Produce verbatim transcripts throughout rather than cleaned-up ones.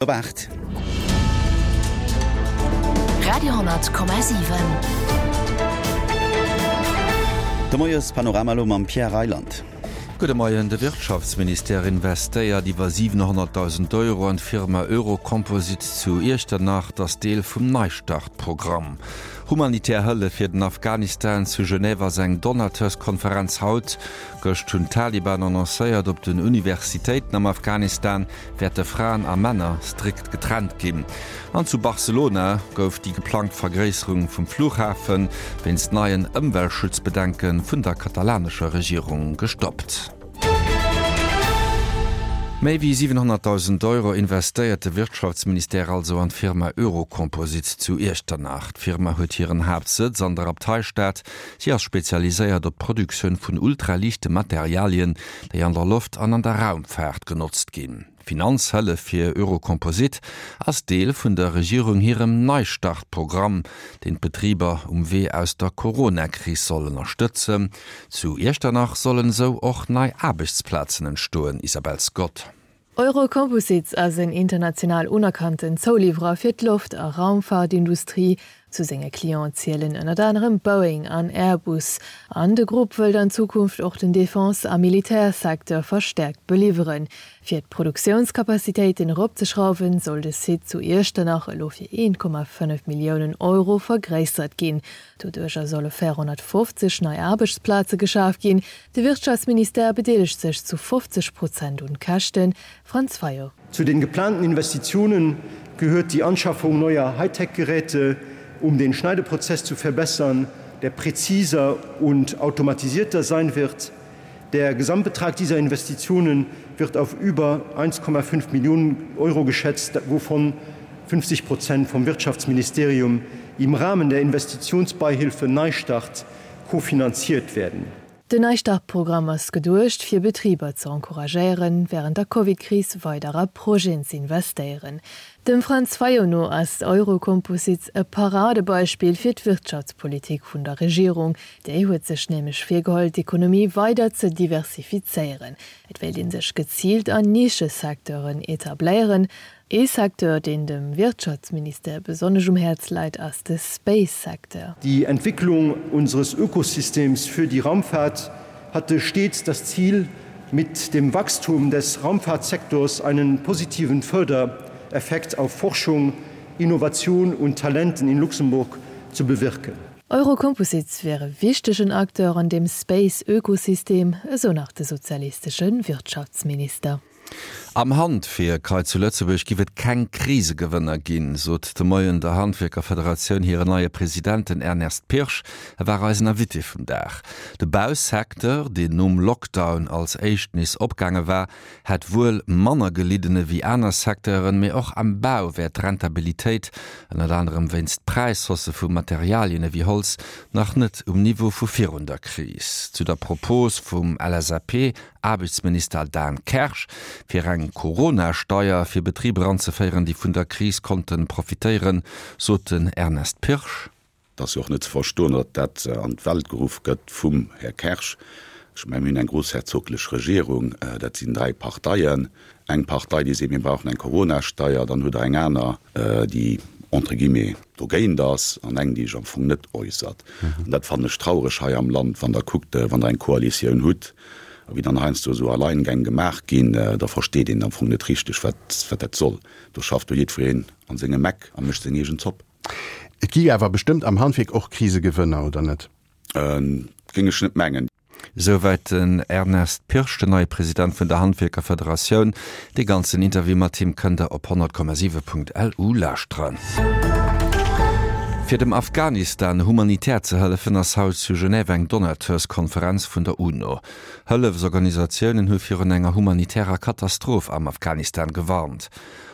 Op aacht. Radio honnert Komma siwen. De Moiespanorama elo mam Pierre Reyland. Gudde Moien, De Wirtschaftsministère investéiert iwwer siwenhonnertdausend Euro an d'Firma Eurocomposites zu Iechternach. Dat ass Deel vum Neistart-Programm. Humanitär Hëllef fir den Afghanistan, Zu Genève ass eng Donateurskonferenz haut. Gëscht hunn d'Taliban annoncéiert, op den Universitéiten am Afghanistan wäerte Fraen a Männer strikt getrennt ginn. An zu Barcelona gouf déi geplangt Vergréisserung vum Flughafe wéinst neien Ëmweltschutzbedenke vun der katalanescher Regierung gestoppt. Méi wéi siwenhonnertdausend Euro investéiert de Wirtschaftsministère also an d'Firma Eurocomposites zu Iechternach. D'Firma huet hiren Haaptsëtz an der Abteistad. Si ass spezialiséiert op d'Produktioun vun ultraliichte Materialien, déi an der Loft an an der Raumfaart genotzt ginn. D'Finanzhëllef fir Eurocomposite ass Deel vun der Regierung hirem Neistart-Programm, deen d'Betriber um Wee aus der Corona-Kris soll ënnerstëtzen. Zu Iechternach sollen esou och nei Aarbechtsplazen entstoen, Isabel Scott. Eurocomposites ass en international unerkannten Zouliwwerer fir d'Loft a Raumfaartindustrie. Zu senge Clienten zielen ënnert anerem Boeing an Airbus. An de Grupp wëllt an Zukunft och den Defense a Militärsecteur verstäerkt beliwweren. Fir d'Produktiounskapazitéiten eropzeschrauwen, soll de Site zu Iechternach elo fir een Komma fënnef Milliounen Euro vergréissert ginn. Doduercher solle véierhonnertfofzeg nei Aarbechtsplaze geschaf ginn. De Wirtschaftsministère bedeelegt sech zu fofzeg Prozent un d'Käschten. Franz Fayot. Zu den geplanten Investitionen gehört die Anschaffung neuer Hightech-Geräte, um den Schneideprozess zu verbessern, der präziser und automatisierter sein wird. Der Gesamtbetrag dieser Investitionen wird auf über eins Komma fünf Millionen Euro geschätzt, wovon fünfzig Prozent vom Wirtschaftsministerium im Rahmen der Investitionsbeihilfe Neustart kofinanziert werden. Den Neistart-Programm ass geduecht, fir Betriber ze encouragéieren, wärend der Covid-Kris weider a Projeten ze investéieren. Dem Franz Fayot no ass Eurocomposites e Paradebeispill fir d'Wirtschaftspolitik vun der Regierung. Déi huet sech nämlech virgeholl, d'Ekonomie weider ze diversifizéieren. Et wéilt ee sech geziilt an Nischesecteuren etabléieren. Ee Secteur, deen dem Wirtschaftsministère besonnesch um Häerz läit, ass de Space-Secteur. Die Entwicklung unseres Ökosystems für die Raumfahrt hatte stets das Ziel, mit dem Wachstum des Raumfahrtsektors einen positiven Fördereffekt auf Forschung, Innovation und Talenten in Luxemburg zu bewirken. Eurocomposites wier e wichtegen Acteur an deem Space-Ökosystem, esou nach de sozialistesche Wirtschaftsminister. Am Handwierk hei zu Lëtzebuerg giff et keng Krisegewënner ginn, sot de Moien der Handwierkerfederatioun hiren neie President, den Ernest Pirsch. E war eisen Invité vum Dag. De Bausecteur, deen nom Lockdown als éischt nees opgaange war, hätt wuel manner gelidden ewéi aner Secteuren, mee och am Bau wär d'Rentabilitéit, ënnert anerem wéinst Präishaussë vu Materialien ewéi Holz, nach net um Niveau vu virun der Kris. Zu der Propos vum L S A P Aarbechtsminister Dan Kersch, fir eng Corona-Steier fir Betriber anzeféieren, déi vun der Kris konnten profitéieren, sot den Ernest Pirsch. Et ass jo och net ze verstoen, datt dat an d'Welt geruff gëtt vum Här Kersch. Ech mengen, mir hunn eng groussherzoglech Regierung, dat sinn dräi Parteien. Eng Partei, déi seet, mir brauchen eng Corona-Steier, dann hutt Der eng aner, déi entre guillemets dogéint ass, an eng, déi sech am Fong net äussert. An dat fannen ech traureg hei am Land, wann Der kuckt, wann Der eng Koalitioun hutt, a wéi dann heiansdo esou Alleingäng gemaach ginn, da versteet een am Fong net richteg, wat, wat dat soll. Do schafft do jiddwereen an sengem Eck a mécht seng eegen Zopp. Et gi awer bestëmmt am Handwierk och Krisegewënner, oder net? Géing ech net mengen. Souwäit den Ernest Pirsch, den neie President vun der Handwierkerfederatioun. Dee ganzen Interview mat him kënnt der op honnert Komma siwe Punkt L U lauschteren. Fir dem Afghanistan humanitär ze hëllefen, ass haut zu Genève eng Donateurskonferenz vun der UNO. Hëllefsorganisatiounen hu virun enger humanitärer Katastroph am Afghanistan gewarnt.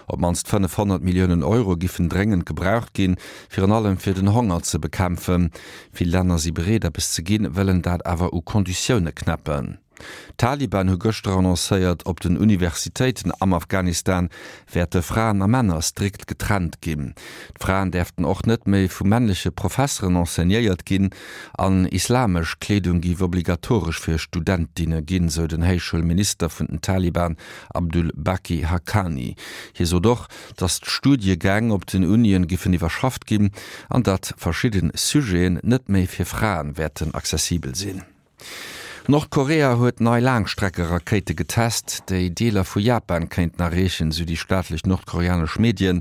Op d'mannst fënnefhonnert Milliounen Euro giffen dréngend gebraucht ginn, virun allem fir den Honger ze bekämpfen. Vill Länner si bereet, eppes ze ginn, wëllen dat awer u Konditioune knäppen. D'Taliban hu gëschter annoncéiert, op den Universitéiten am Afghanistan wäerte Fraen a Männer strikt getrennt ginn. D'Fraen däerften och net méi vu männleche Professeren enseignéiert ginn an islamesch Kleedung géif obligatoresch fir Studentinne ginn, sou den Héichschoulminister vun den Taliban Abdul Baqi Haqqani. Hie sot och, datt d'Studiegäng op den Unien giffen iwwerschafft ginn an datt verschidde Sujeten net méi fir Fraen wäerten accessibel sinn. Nordkorea huet nei Laangstreckerakéite getest, déi Deeler vu Japan kéinten erreechen, sou déi staatlech nordkoreanesch Medien.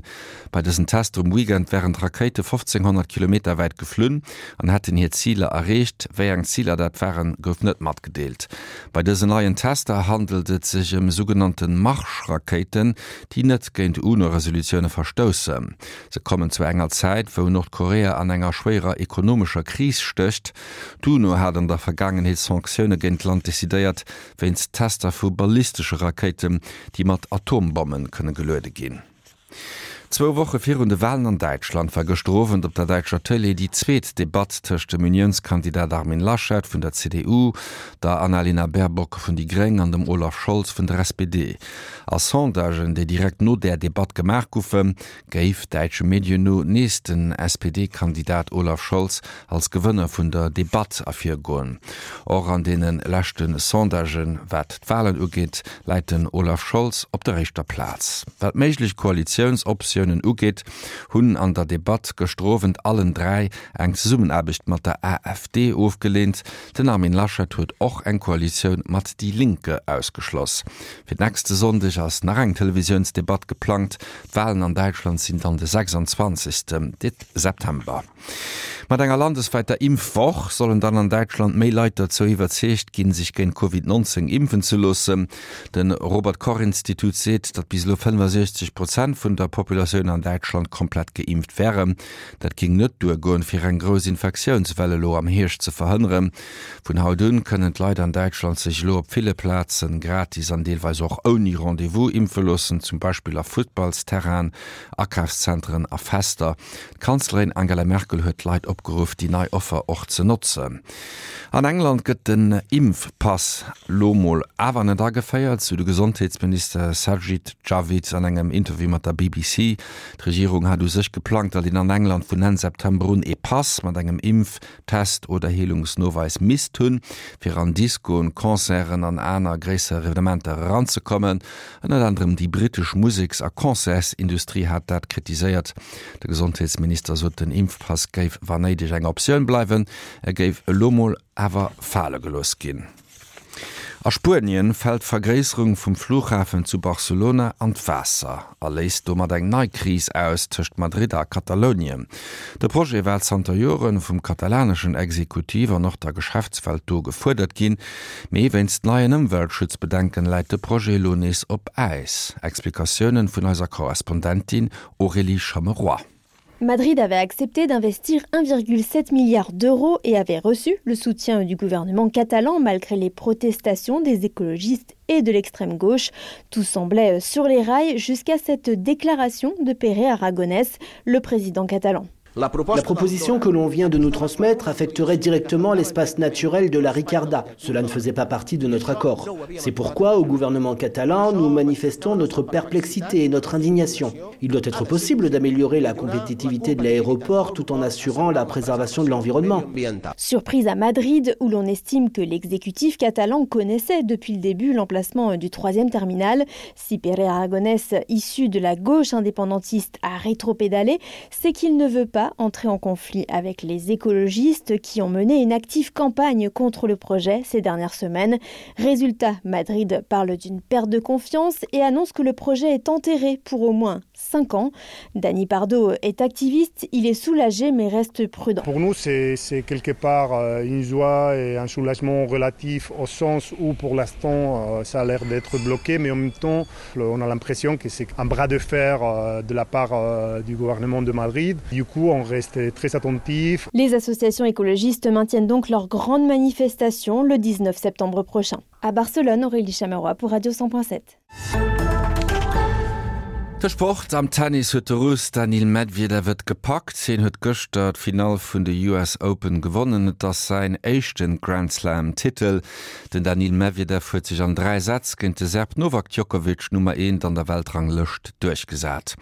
Bei dësen Tester um Weekend wären d'Rakéite fofzénghonnert Kilometer wäit geflunn an hätten hir Ziler erreecht. Wéi eng Ziler dat waren, gouf net matgedeelt. Bei dësen neien Tester handelt et sech ëm sougenannte Marschrakéiten, déi net géint UNO-Resolutioune verstoussen. Se kommen zu enger Zäit, wou Nordkorea an enger schwéierer ekonomescher Kris stécht. D'UNO hat an der Vergaangenheet Sanktioune géint d'Land decidéiert, wéinst Tester vu ballistesche Rakéiten, déi mat Atombomme kënne geluede ginn. Zwou Woche virun de Walen an Däitschland war gëschter Owend op der däitscher Tëlee déi zweet Debatt tëscht dem Uniounskandidat Armin Laschet vun der C D U, der Annalena Baerbock vun déi Gréng an dem Olaf Scholz vun der S P D. A Sondagen, déi direkt no där Debatt gemaach goufen, géif däitsche Medien no nees den S P D-Kandidat Olaf Scholz als Gewënner vun der Debatt ervirgoen. Och an deene leschte Sondagen, wat d'Walen ugeet, läit den Olaf Scholz op der éischter Plaz. Wat méiglech Koalitiounsoptiounen ugeet, hunn an der Debatt gëschter Owend allen dräi eng Zesummenaarbecht mat der A F D ofgeleent. Den Armin Laschet huet och eng Koalitioun mat Die Linke ausgeschloss. Fir nächste Sonndeg ass nach eng Televisiounsdebatt geplangt. D'Walen an Däitschland sinn dann de sechsundzwanzegste September. Mat enger landeswäiter Impfwoch sollen dann an Däitschland méi Leit dozou iwwerzeegt ginn, sech géint Covid neunzéng impfen ze loossen. De Robert Koch Institut seet, datt bis elo fënnefasiechzeg Prozent vun der Populatioun an Däitschland komplett geimpft wären. Dat géing net duergoen, fir eng grouss Infektiounswell elo am Hierscht ze verhënneren. Vun haut un kënnen d'Leit an Däitschland sech elo op ville Plaze gratis an deelweis och ouni Rendez-vous impfe loossen, zum Beispill a Futtballsterrainen, Akafszentren a Fester. D'Kanzlerin Angela Merkel huet d'Leit opgeruff, déi nei Offer och ze notzen. An England gëtt den Impfpass lo mol awer net ageféiert, sou de Gesondheetsminister Sajid Javid an engem Interview mat der B B C. D'Regierung hat u sech geplangt, datt een an England vun Enn September un ee Pass mat engem Impftest oder Heelungsnoweis misst hunn, fir an Diskoen, Concerten an aner gréisser Evenementer eranzekommen. Ënnert anerem déi brittesch Museks a Concertsindustrie hat dat kritiséiert. De Gesondheetsminister sot, den Impfpass géif wann néideg eng Optioun bleiwen, e géif elo mol awer fale gelooss ginn. A Spuenien fält d'Vergréisserung vum Flughafen zu Barcelona an d'Waasser a léist domat eng nei Kris aus tëscht Madrid a Katalounien. De Projet war zanter Joren vum katalaneschen Exekutiv an och der Geschäftswelt do gefuerdert ginn, mee wéinst neien Ëmweltschutzbedenken läit de Projet elo nees op Äis. Explikatiounen vun eiser Korrespondentin Aurélie Chameroy. Madrid avait accepté d'investir un virgule sept milliard d'euros et avait reçu le soutien du gouvernement catalan malgré les protestations des écologistes et de l'extrême gauche. Tout semblait sur les rails jusqu'à cette déclaration de Pere Aragonès, le président catalan. La proposition que l'on vient de nous transmettre affecterait directement l'espace naturel de la Ricarda. Cela ne faisait pas partie de notre accord. C'est pourquoi, au gouvernement catalan, nous manifestons notre perplexité et notre indignation. Il doit être possible d'améliorer la compétitivité de l'aéroport tout en assurant la préservation de l'environnement. Surprise à Madrid, où l'on estime que l'exécutif catalan connaissait depuis le début l'emplacement du troisième terminal. Si Pere Aragonès, issu de la gauche indépendantiste, a rétropédalé, c'est qu'il ne veut pas entrer en conflit avec les écologistes qui ont mené une active campagne contre le projet ces dernières semaines. Résultat, Madrid parle d'une perte de confiance et annonce que le projet est enterré pour au moins cinq ans. Dani Pardo est activiste, il est soulagé mais reste prudent. Pour nous, c'est quelque part euh, une joie et un soulagement relatif au sens où pour l'instant euh, ça a l'air d'être bloqué, mais en même temps on a l'impression que c'est un bras de fer euh, de la part du gouvernement de Madrid. Du coup, on reste très attentif. Les associations écologistes maintiennent donc leur grande manifestation le dix-neuf septembre prochain. À Barcelone, Aurélie Chameroy pour Radio cent point sept. De Sport am Tennis huet de Russ Daniil Medvedev et gepackt. Hien huet gëschter d'Finall vun de U S Open gewonnen. Et ass säin éischte Grand Slam Titel. Den Daniil Medvedev huet sech an dräi Sätz géint de Serb Novak Djokovic, Nummer eent an der Weltranglëscht, duerchgesat.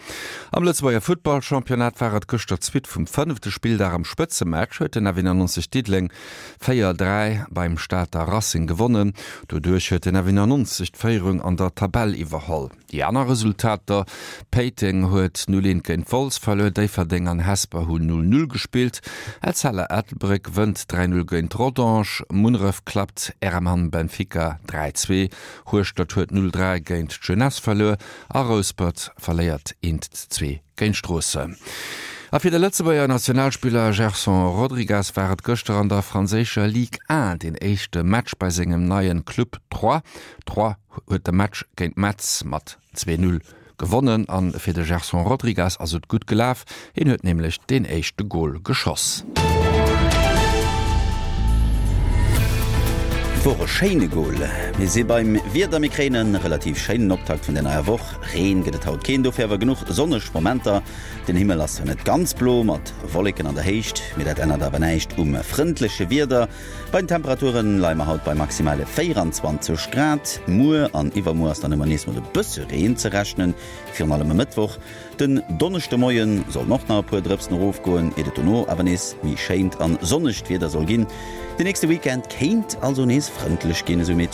Am Lëtzebuerger Futtballchampionnat war et gëschter d'Suite vum fënnefte Spilldag. Am Spëtzematch huet den F nonundneunzeg Diddeleng véier dräi beim Stater Racing gewonnen. Doduerch huet den F nonundneunzeg d'Féierung an der Tabell iwwerholl. Déi aner Resultater: Péiteng huet null eent géint Wolz verluer, Déifferdeng an Hesper hunn null null gespillt, Etzella Ettelbréck wënnt dräi null géint Rodange, Munneref klappt R M Hamm Benfica dräi zwee, Hueschtert huet null dräi géint d'Jeunesse verluer a Rouspert verléiert eent zwee géint Stroossen. A fir de Lëtzebuerger Nationalspiller Gerson Rodrigues war et gëschter an der franséischer Ligue un den éischte Match bei sengem neien Club Troyes. Troyes huet de Match géint Metz mat zwee null gewonnen an fir de Gerson Rodrigues ass et gutt gelaf, hien huet nämlech den éischte Gol geschoss. Wor e schéine Gol. Mir si beim Wieder, mir kréien e relativ schéinen Optakt vun der neier Woch. Reen gëtt et haut keen, dofir awer genuch sonneg Momenter. Den Himmel ass zwar net ganz blo mat Wolleken an der Héicht, mee dat ännert awer näischt um frëndleche Wieder. Bei den Temperature leie mer haut bei maximale véieranzwanzeg Grad. Muer an iwwermuer ass dann ëmmer nees mat e bësse Reen ze rechnen, virun allem e Mëttwoch. Den Donneschdemoie sollen och nach e puer Drëpsen erofgoen, iert et dono awer nees méi schéint an sonnegt Wieder soll ginn. Den nächste Weekend kéint also nees frëndlech ginn, esou Meteo.